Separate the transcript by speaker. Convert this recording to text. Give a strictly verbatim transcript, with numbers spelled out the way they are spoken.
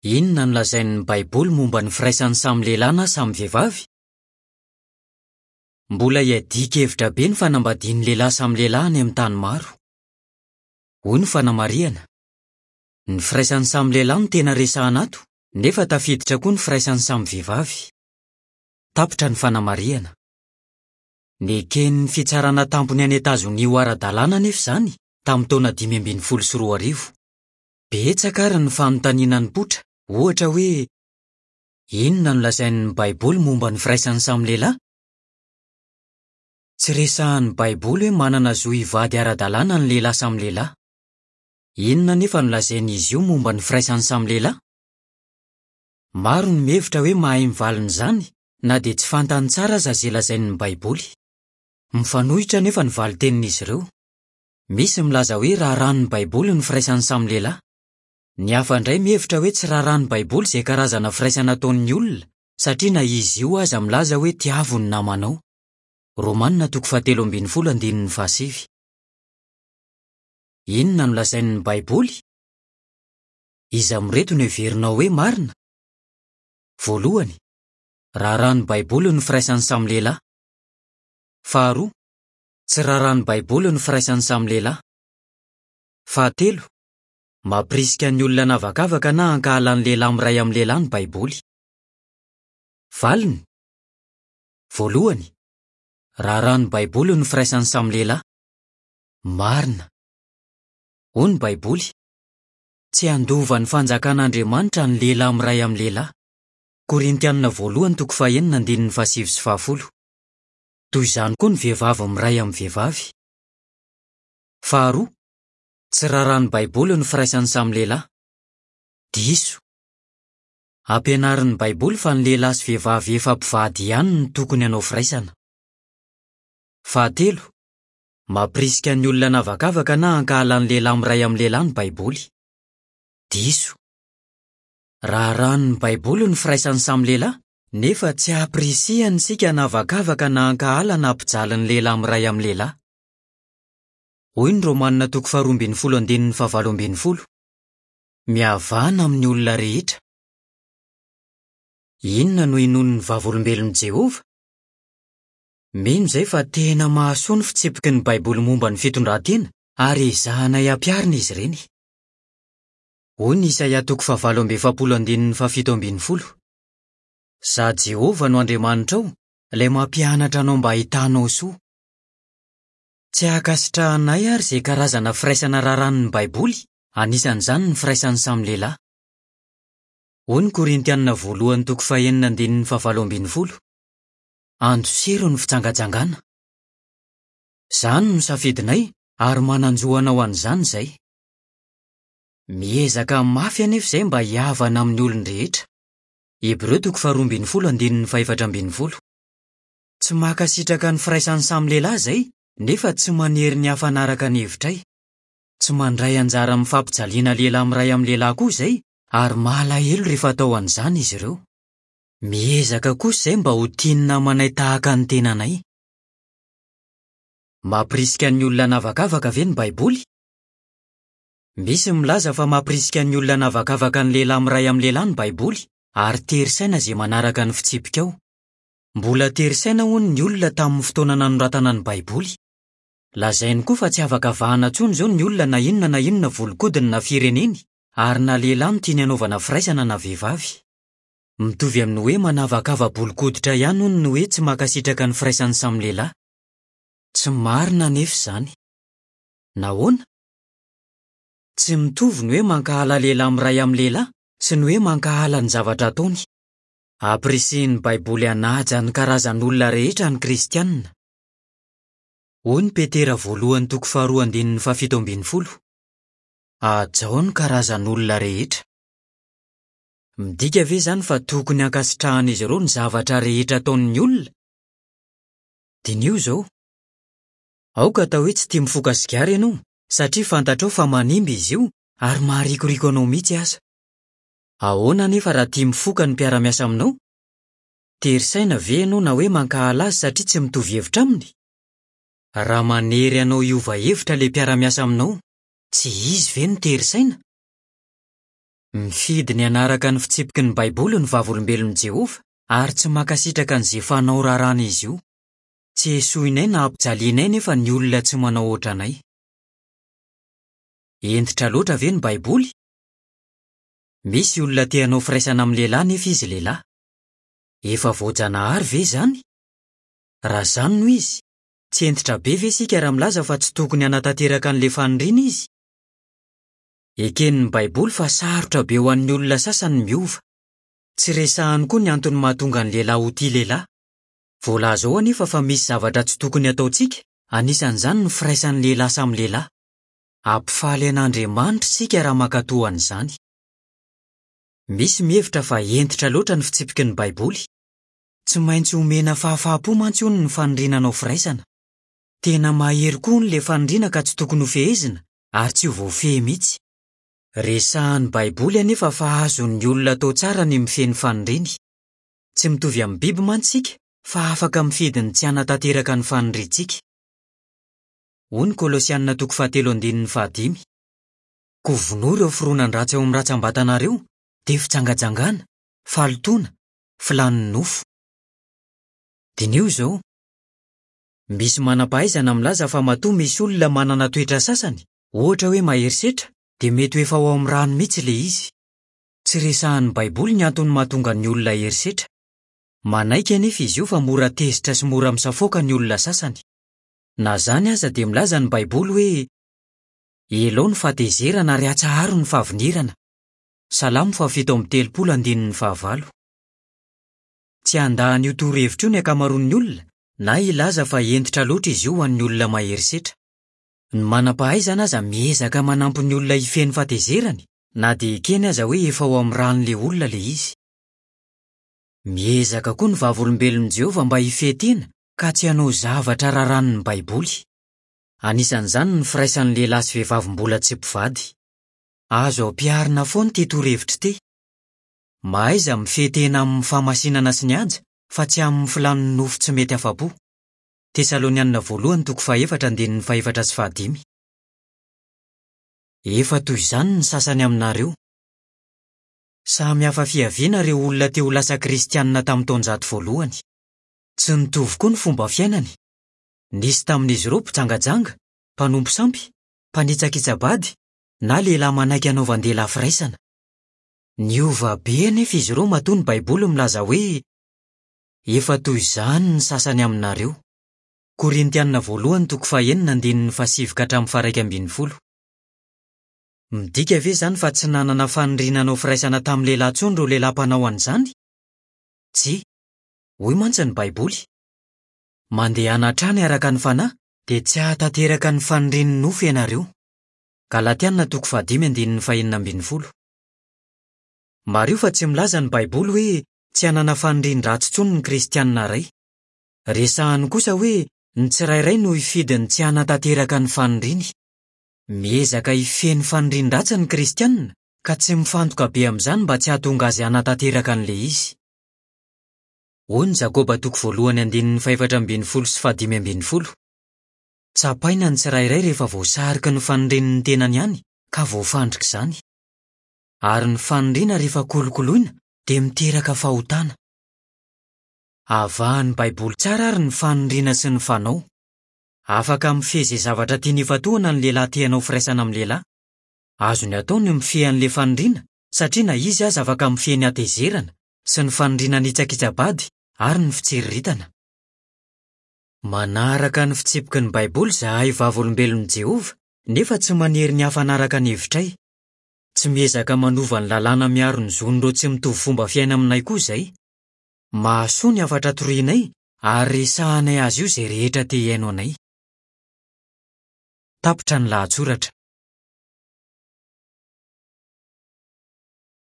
Speaker 1: Inona no lazain'ny Baiboly momba ny firaisan'ny samy lehilahy na samy vehivavy? Mbola iadian-kevitra be ny fanambadian'ny lehilahy samy lehilahy any amin'ny tany maro. Hoy ny fanamarihana: Ny firaisan'ny samy lehilahy no tena resahana ato, nefa tafiditra koa ny firaisan'ny samy vehivavy. Tapitra ny fanamarihana. Neken'ny fitsarana tampony any Etazonia ho ara-dalàna anefa izany tamin'ny taona dimy ambin'ny folo sy roa arivo. Betsaka àry ny fanontaniana nipoitra, ohatra hoe: Inona no lazain'ny Baiboly momba ny firaisan'ny samy lehilahy? Tsy resahin'ny Baiboly hoe manana zo hivady ara-dalàna ny lehilahy samy lehilahy. Inona anefa no lazain'izy io momba ny firaisan'ny samy lehilahy? Maro ny mihevitra hoe mahay mivalona izany, na dia tsy fantany tsara aza izay lazain'ny Baiboly. Mifanohitra anefa ny valin-tenin'izy ireo. Misy milaza hoe raharahan'ny Baiboly ny firaisan'ny samy lehilahy. Ny hafa indray mihevitra hoe tsy raharahan'ny Baiboly izay karazana firaisana ataon'ny olona, satria na izy io aza milaza hoe tiavo ny namanao. Romanina toko fahatelo ambin'ny folo andininy fahasivy. Inona no lazain'ny Baiboly? Iza amin'ireto no heverinao hoe marina? Voalohany, raharahan'ny Baiboly ny firaisan'ny samy lehilahy. Faharoa, tsy raharahan'ny Baiboly ny firaisan'ny samy lehilahy. Fahatelo, mampirisika ny olona hanavakavaka na hankahala ny lehilahy miray amin'ny lehilahy ny Baiboly. Valiny: Voalohany, raharahan'ny Baiboly ny firaisan'ny samy lehilahy. Marina. Hoy ny Baiboly: Tsy handova ny fanjakan'Andriamanitra ny lehilahy miray amin'ny lehilahy. Korintianina voalohany toko fahenina andininy fahasivy sy fahafolo. Toy izany koa ny vehivavy miray amin'ny vehivavy. Faharoa, tsy raharahan'ny Baiboly ny firaisan'ny samy lehilahy. Diso. Ampianarin'ny Baiboly fa ny lehilahy sy vehivavy efa mpivady ihany no tokony hanao firaisana. Fahatelo, mampirisika ny olona hanavakavaka na hankahala ny lehilahy miray amin'ny lehilahy ny Baiboly. Diso. Raharahan'ny Baiboly ny firaisan'ny samy lehilahy, nefa tsy ampirisihany isika hanavakavaka na hankahala na hampijaly ny lehilahy miray amin'ny lehilahy. Hoy ny Romanina toko faharoa ambin'ny folo andininy fahavalo ambin'ny folo: Mihavana amin'ny olona rehetra. Inona no inoan'ny Vavolombelon'i Jehovah? Mino izay fa tena mahasoa ny fitsipiky ny Baiboly momba ny fitondran-tena ary ezahanay hampiharina izy ireny. Hoy ny Isaia toko fahavalo amby efapolo andininy fahafito ambin'ny folo: Izaho Jehovah no Andriamanitrao, ilay mampianatra anao mba hahitanao soa. Tsy ankasitrahanay àry izay karazana firaisana raràn'ny Baiboly, anisan'izany ny firaisan'ny samy lehilahy. Hoy ny Korintianina voalohany toko fahenina andininy fahavalo ambin'ny folo: Andosiro ny fijangajangana. Izany no safidinay ary manan-jo hanao an'izany izay. Miezaka mafy anefa izay mba hihavana amin'ny olon-drehetra. Hebreo toko faharoa ambin'ny folo andininy fahefatra ambin'ny folo. Tsy mankasitraka ny firaisan'ny samy lehilahy izay, nefa tsy manery ny hafa hanaraka ny hevitray. Tsy mandray anjara amin'ny fampijaliana lehilahy miray amin'ny lehilahy koa izay, ary malahelo rehefa atao an'izany izy ireo. Miezaka kosa izay mba ho tia ny namanay tahaka ny tenanay. Mampirisika ny olona hanavakavaka ve ny Baiboly? Misy milaza fa mampirisika ny olona hanavakavaka ny lehilahy miray amin'ny lehilahy ny Baiboly, ary tery saina izay manaraka ny fitsipika ao. Mbola tery saina hono ny olona tamin'ny fotoana nanoratana ny Baiboly. Lazainy koa fa tsy afaka avahana intsony izao ny olona na inona na inona volon-kodiny na fireneny, ary na lehilahy no tiany hanaovana firaisana na vehivavy. Mitovy amin'ny hoe manavakava-bolon-koditra ihany hono ny hoe tsy mankasitraka ny firaisan'ny samy lehilahy. Tsy marina anefa izany. Nahoana? Tsy mitovy ny hoe mankahala lehilahy miray amin'ny lehilahy sy ny hoe mankahala ny zavatra ataony. Ampirisihin'ny Baiboly hanaja ny karazan'olona rehetra ny Kristianina. Hoy ny Petera voalohany toko faharoa andininy fahafito ambin'ny folo: Hajao ny karazan'olona rehetra. Midika ve izany fa tokony hankasitrahan'izy ireo ny zavatra rehetra ataon'ny olona? Diniho izao: Aoka atao hoe tsy tia mifoka sigara ianao, satria fantatrao fa manimba izy io ary maharikoriko anao mihitsy aza. Ahoana anefa raha tia mifoka ny mpiara-miasa aminao? Tery saina ve ianao na hoe mankahala azy satria tsy mitovy hevitra aminy? Raha manery anao hiova hevitra ilay mpiara-miasa aminao, tsy izy ve no tery saina? Mifidy ny hanaraka ny fitsipiky ny Baiboly ny Vavolombelon'i Jehovah ary tsy mankasitraka an'izay fanao raràna izy io. Tsy esoinay na ampijalianay nefa ny olona tsy manao ohatranay. Hentitra loatra ve ny Baiboly? Misy olona te hanao firaisana amin'ny lehilahy nefa izy lehilahy. Efa voajanahary ve izany? Raha izany no izy, tsy hentitra be ve isika raha milaza fa tsy tokony hanatanteraka an'ilay faniriana izy? Eken'ny Baiboly fa sarotra be ho an'ny olona sasany ny miova. Tsy resahany koa ny antony mahatonga ny lehilahy ho tia lehilahy. Voalaza ao anefa fa misy zavatra tsy tokony hataontsika, anisan'izany ny firaisan'ny lehilahy samy lehilahy. Hampifaly an'Andriamanitra isika raha mankatò an'izany. Misy mihevitra fa hentitra loatra ny fitsipiky ny Baiboly. Tsy maintsy omena fahafaham-po mantsy hono ny faniriana hanao firaisana. Tena mahery koa hono ilay faniriana ka tsy tokony hofehezina ary tsy ho voafehy mihitsy. Resahan'ny Baiboly anefa fa azon'ny olona atao tsara ny mifehy ny faniriany. Tsy mitovy amin'ny biby mantsy isika fa afaka mifidy ny tsy hanatanteraka ny faniriantsika. Hoy ny Kolosianina toko fahatelo andininy fahadimy. Koa vonoa ireo fironan-dratsy ao amin'ny rantsambatanareo, dia fijangajangana, fahalotoana, filàn'ny nofo. Diniho izao. Misy manam-pahaizana milaza fa matoa misy olona manana toetra sasany, ohatra hoe mahery setra, dia mety ho efa ao amin'ny rano mihitsy ilay izy. Tsy resahan'ny Baiboly ny antony mahatonga ny olona hery setra. Manaiky anefa izy io fa mora tezitra sy mora misafoaka ny olona sasany. Na izany aza dia milaza ny Baiboly hoe elao ny fahatezerana ary atsaharo ny fahavinirana. Salamo fahafito amby telopolo andininy fahavalo. Tsy handà an'io torohevitra io ny ankamaroan'ny olona na hilaza fa hentitra loatra izy io ho an'ny olona mahery setra. Ny manam-pahaizana aza miezaka manampy ny olona hifehy ny fahatezerany na dia ekeny aza hoe efa ao amin'ny ran'ilay olona ilay izy. Miezaka koa ny Vavolombelon'i Jehovah mba hifehy tena ka tsy hanao zavatra raràn'ny Baiboly. Anisan'izany ny firaisan'ny lehilahy sy vehivavy mbola tsy mpivady. Azo ampiharina foana ity torohevitra ity. Mahaiza mifehy tena amin'ny fahamasinana sy ny haja fa tsy amin'ny filàn'ny nofo tsy mety afa-po. Tesalonianina voalohany toko fahefatra andininy fahefatra sy fahadimy. Efa toy izany ny sasany aminareo. Samy hafa fiaviana ireo olona te ho lasa kristianina tamin'ny taonjato voalohany. Tsy nitovy koa ny fomba fiainany. Nisy tamin'izy ireo mpijangajanga, mpanompo sampy, mpanitsakitsa-bady, na lehilahy manaiky hanaovan-dehilahy firaisana. Niova be anefa izy ireo matoa ny Baiboly milaza hoe efa toy izany ny sasany aminareo. Korintianina voalohany toko fahenina andininy fahasivy ka hatramin'ny faharaika ambin'ny folo. Midika ve izany fa tsy nanana faniriana hanao firaisana tamin'ny lehilahy intsony ireo lehilahy mpanao an'izany? Tsia. Hoy mantsy ny Baiboly. Mandehana hatrany araka ny fanahy dia tsy hahatanteraka ny fanirian'ny nofo ianareo. Galatianina toko fahadimy andininy fahenina ambin'ny folo. Mariho fa tsy milaza ny Baiboly hoe tsy hanana fanirian-dratsy intsony ny kristianina iray. Resahany kosa hoe ny tsirairay no hifidy ny tsy hanatanteraka ny faniriany. Miezaka hifehy ny fanirian-dratsy ny kristianina ka tsy mifantoka be amin'izany mba tsy hahatonga azy hanatanteraka an'ilay izy. Hoy ny Jakoba toko voalohany andininy fahefatra ambin'ny folo sy fahadimy ambin'ny folo. Tsapaina ny tsirairay rehefa voasariky ny fanirian'ny tenany ihany ka voafandrika izany. Ary ny faniriana rehefa kolokoloina dia miteraka fahotana. Avahan'ny Baiboly tsara ary ny faniriana sy ny fanao. Afaka mifehy izay zavatra tiany hifantohana ny lehilahy te hanao firaisana amin'ny lehilahy. Azony atao ny mifehy an'ilay faniriana satria na izy aza afaka mifehy ny hatezerana sy ny faniriana nitsakitsa-bady ary ny fitsiriritana. Manaraka ny fitsipiky ny Baiboly izahay Vavolombelon'i Jehovah nefa tsy manery ny hafa hanaraka ny hevitray. Tsy miezaka manova ny lalàna miaro ny zon'ireo tsy mitovy fomba fiaina aminay koa izay. Mahasoa ny hafatra torianay ary resahanay azy io izay rehetra te hihaino anay. Tapitra ny lahatsoratra.